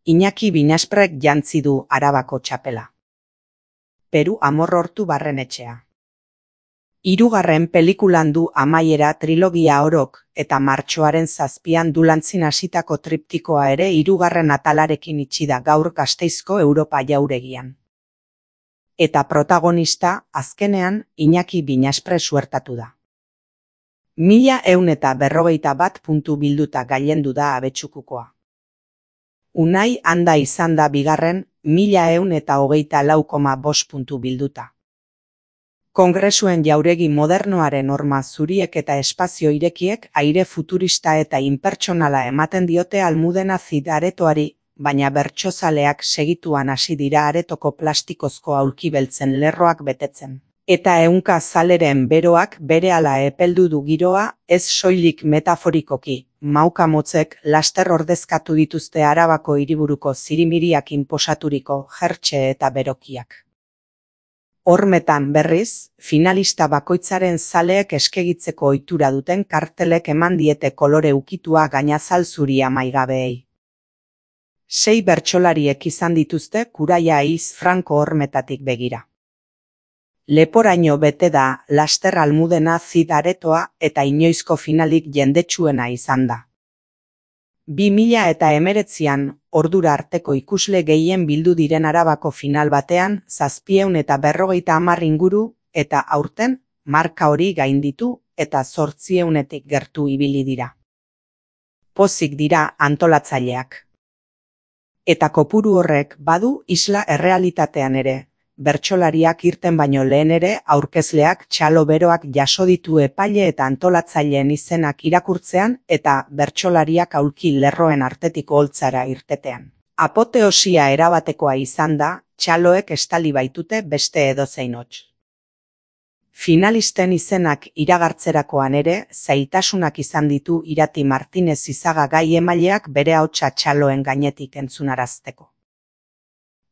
Iñaki Binasprek jantzi du Arabako txapela. Peru Amorrortu Barrenetxea. Hirugarren pelikulan du amaiera trilogia orok eta martxoaren 7an Dulantzin hasitako triptikoa ere hirugarren atalarekin itxi da gaur Gasteizko Europa jauregian. Eta protagonista azkenean Iñaki Binaspre suertatu da. 1141 puntu bilduta gailendu da abetxukukoa. Unai handa izan da bigarren 1124,5 puntu bilduta. Kongresuen jauregi modernoaren horma zuriek eta espazio irekiek aire futurista eta inpertsonala ematen diote Almudena Cid aretoari, baina bertsozaleak segituan hasi dira aretoko plastikozko aulki beltzen lerroak betetzen. Eta ehunka zaleren beroak berehala epeldu du giroa, ez soilik metaforikoki, mauka motzek laster ordezkatu dituzte Arabako hiriburuko zirimiriak inposaturiko jertxe eta berokiak. Hormetan berriz, finalista bakoitzaren zaleek eskegitzeko ohitura duten kartelek eman diete kolore ukitua gainazal zuria maigabeei. 6 bertsolariek izan dituzte Kuraia Aiz Franko hormetatik begira. Leporaino bete da laster Almudena Cid aretoa eta inoizko finalik jendetsuena izan da. 2019an ordura arteko ikusle gehien bildu diren Arabako final batean 750 inguru eta aurten marka hori gainditu eta 800etik gertu ibili dira. Pozik dira antolatzaileak. Eta kopuru horrek badu isla errealitatean ere. Bertsolariak irten baino lehen ere aurkezleak txalo beroak jaso ditu epaile eta antolatzaileen izenak irakurtzean eta bertsolariak aulki lerroen artetik holtzara irtetean. Apoteosia erabatekoa izan da, txaloek estali baitute beste edozein hots. Finalisten izenak iragartzerakoan ere zailtasunak izan ditu Irati Martinez Izaga gai emaileak bere ahotsa txaloen gainetik entzunarazteko.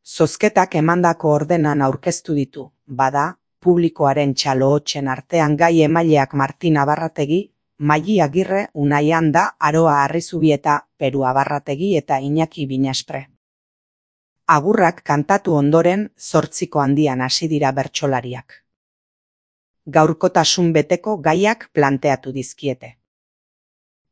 Zozketak emandako ordenan aurkeztu ditu, bada, publikoaren txalo hotsen artean gai emaileak Martin Abarrategi, Maili Agirre, Unai Handa, Aroa Arrizubieta, Peru Abarrategi eta Iñaki Binaspre. Agurrak kantatu ondoren 8ko handian hasi dira bertsolariak. Gaurkotasun beteko gaiak planteatu dizkiete.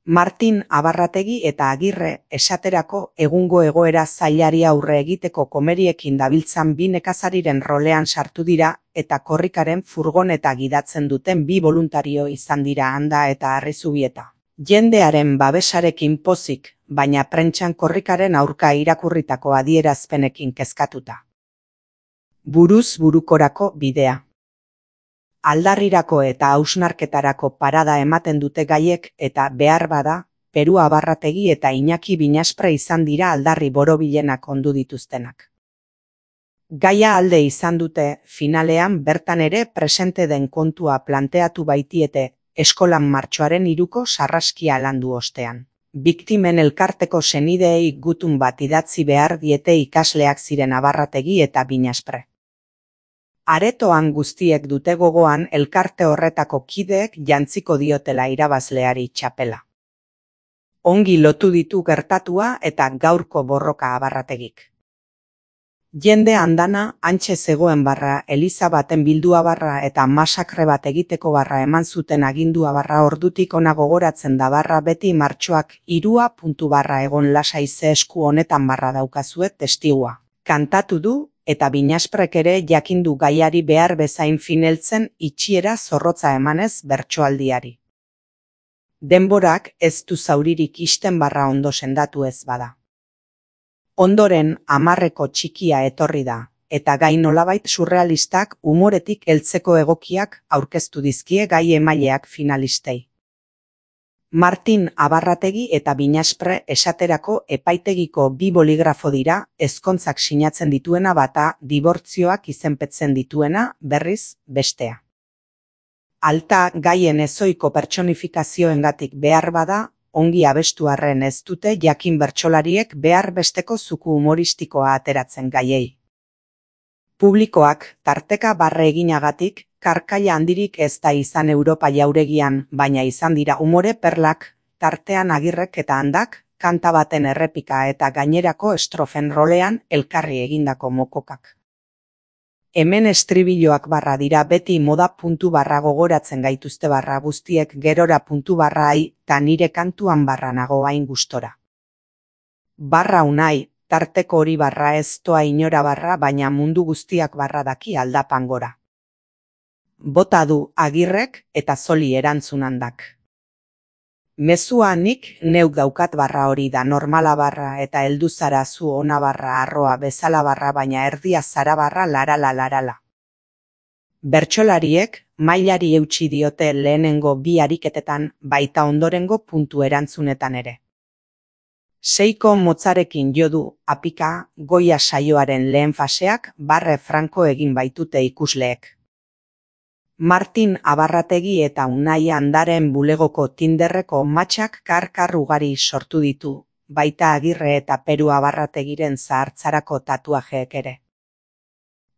Martin Abarrategi eta Agirre esaterako egungo egoera zailari aurre egiteko komeriekin dabiltzan bi nekazariren rolean sartu dira eta korrikaren furgoneta gidatzen duten bi boluntario izan dira Handa eta Arrizubieta. Jendearen babesarekin pozik, baina prentsan korrikaren aurka irakurritako adierazpenekin kezkatuta. Buruz burukorako bidea. Aldarrirako eta hausnarketarako parada ematen dute gaiek eta behar bada, Peru Abarrategi eta Iñaki Binaspre izan dira aldarri borobilenak ondu dituztenak. Gaia alde izan dute, finalean bertan ere presente den kontua planteatu baitiete, eskolan martxoaren 3ko sarraskia landu ostean. Biktimen elkarteko senideei gutun bat idatzi behar diete ikasleak ziren Abarrategi eta Binaspre. Aretoan guztiek dute gogoan elkarte horretako kideek jantziko diotela irabazleari txapela. Ongi lotu ditu gertatua eta gaurko borroka Abarrategik. Jende andana hantxe zegoen barra, eliza baten bildua barra eta masakre bat egiteko barra eman zuten agindua barra ordutik ona gogoratzen da barra beti martxoak 3 egon lasai ze esku honetan barra daukazue testigua. Kantatu du, eta Binasprek ere jakindu gaiari behar bezain fineltzen itxiera zorrotza emanez bertsoaldiari. Denborak ez du zauririk isten barra ondo sendatu ez bada. Ondoren 10ko txikia etorri da, eta gai nolabait surrealistak umoretik heltzeko egokiak aurkeztu dizkie gai emaileak finalistei. Martin Abarrategi eta Binaspre esaterako epaitegiko bi boligrafo dira, ezkontzak sinatzen dituena bata, dibortzioak izenpetzen dituena, berriz, bestea. Alta gaien ezoiko pertsonifikazioengatik behar bada, ongi abestu arren ez dute jakin bertsolariek behar besteko zuku humoristikoa ateratzen gaiei. Publikoak tarteka barre eginagatik, karkaila handirik ez da izan Europa jauregian, baina izan dira umore perlak, tartean Agirrek eta Handak, kanta baten errepika eta gainerako estrofen rolean elkarri egindako mokokak. Hemen estribilloak barra dira beti moda puntu barra gogoratzen gaituzte barra guztiek gerora puntu barra ai, ta nire kantuan barra nago hain gustora. Barra unai, tarteko hori barra ez toa inora barra baina mundu guztiak barra daki aldapan gora. Bota du Agirrek eta Zoli erantzun handak. Mezua nik neuk daukat barra hori da normala barra eta heldu zara zu ona barra arroa bezala barra baina erdia zara barra larala. Bertsolariek mailari eutsi diote lehenengo bi ariketetan baita ondorengo puntu erantzunetan ere. Seiko motzarekin jo du apika goia saioaren lehen faseak barre franko egin baitute ikusleek. Martin Abarrategi eta Unai Andaren bulegoko Tinderreko matxak kar ugari sortu ditu, baita Agirre eta Peru Abarrategiren zahartzarako tatuajeek ere.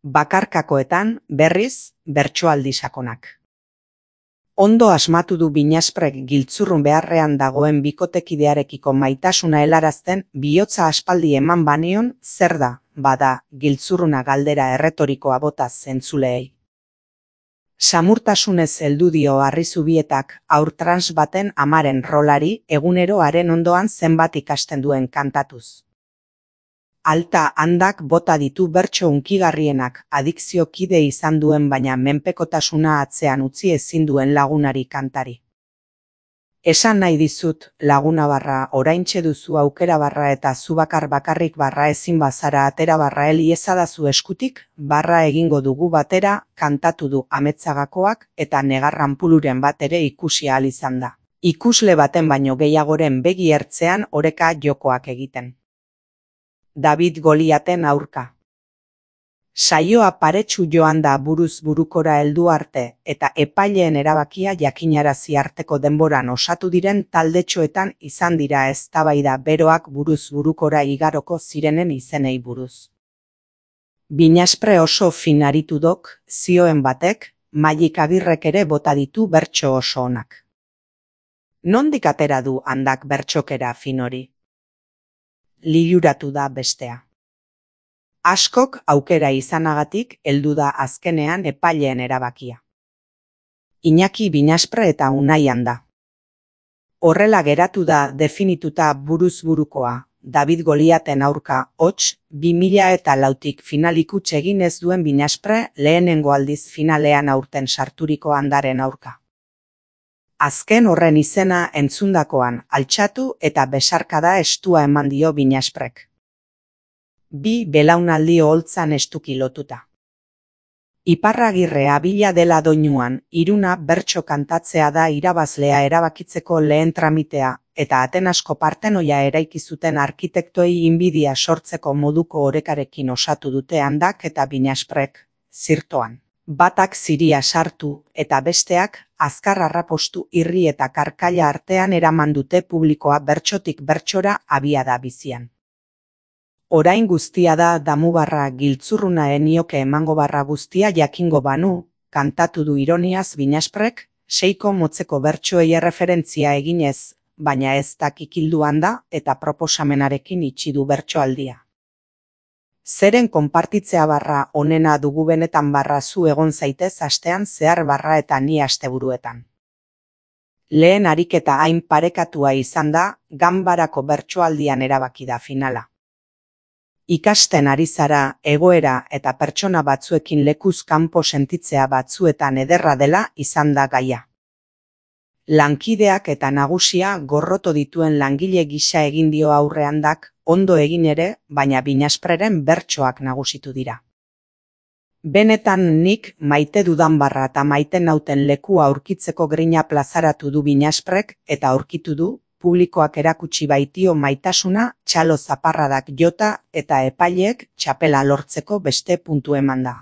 Bakarkakoetan, berriz, bertsoaldi sakonak. Ondo asmatu du Binasprek giltzurrun beharrean dagoen bikotekidearekiko maitasuna helarazten bihotza aspaldi eman banion zer da, bada, giltzurruna galdera erretorikoa bota zentzuleei. Samurtasunez heldu dio Arrizubietak haur trans baten amaren rolari egunero haren ondoan zenbat ikasten duen kantatuz. Alta handak bota ditu bertso hunkigarrienak adikzio kide izan duen baina menpekotasuna atzean utzi ezin duen lagunari kantari. Esan nahi dizut, laguna barra, oraintxe duzu aukera barra eta zu bakarrik barra ezin bazara atera barra iezadazu eskutik, barra egingo dugu batera, kantatu du Ametzagakoak eta Negarran Puluren bat ere ikusi ahal izan da. Ikusle baten baino gehiagoren begi ertzean oreka jokoak egiten. David Goliaten aurka. Saioa paretsu joan da buruz burukora heldu arte eta epaileen erabakia jakinarazi arteko denboran osatu diren taldetxoetan izan dira eztabaida beroak buruz burukora igaroko zirenen izenei buruz. Binaspre oso fin aritu dok, zioen batek, Mailik Agirrek ere bota ditu bertso oso onak. Nondik atera du handak bertsokera fin hori? Liluratu da bestea. Askok aukera izanagatik heldu da azkenean epaileen erabakia. Iñaki Binaspre eta Unai Anda. Horrela geratu da definituta buruz burukoa, David Goliaten aurka hots 2004tik finalikuts egin ez duen Binaspre lehenengo aldiz finalean aurten sarturiko Andaren aurka. Azken horren izena entzundakoan altxatu eta besarkada estua eman dio Binasprek. Bi belaunaldi oholtzan estuki lotuta. Iparragirre abila dela doinuan, Iruna bertso kantatzea da irabazlea erabakitzeko lehen tramitea, eta Atenasko partenoia eraiki zuten arkitektoei inbidia sortzeko moduko orekarekin osatu dute Handak eta Binasprek, zirtoan. Batak ziria sartu, eta besteak, azkar arrapostu irri eta karkaila artean eraman dute publikoa bertsotik bertsora abiada bizian. Orain guztia da damubarra giltzurruna enioke emango barra guztia jakingo banu, kantatu du ironiaz Binasprek, seiko motzeko bertsoei erreferentzia eginez, baina ez dakikildu handa eta proposamenarekin itxi du bertsoaldia. Zeren konpartitzea barra onena dugu benetan barra zu egon zaitez astean zehar barra eta ni asteburuetan. Lehen ariketa hain parekatua izan da, ganbarako bertsoaldian erabaki da finala. Ikasten ari zara, egoera eta pertsona batzuekin lekuz kanpo sentitzea batzuetan ederra dela izan da gaia. Lankideak eta nagusia gorroto dituen langile gisa egin dio aurre Handak, ondo egin ere, baina Binaspreren bertsoak nagusitu dira. Benetan nik maite dudan barra eta maite nauten lekua aurkitzeko grina plazaratu du Binasprek eta aurkitu du, publikoak erakutsi baitio maitasuna, txalo zaparradak jota eta epaileek txapela lortzeko beste puntu eman da.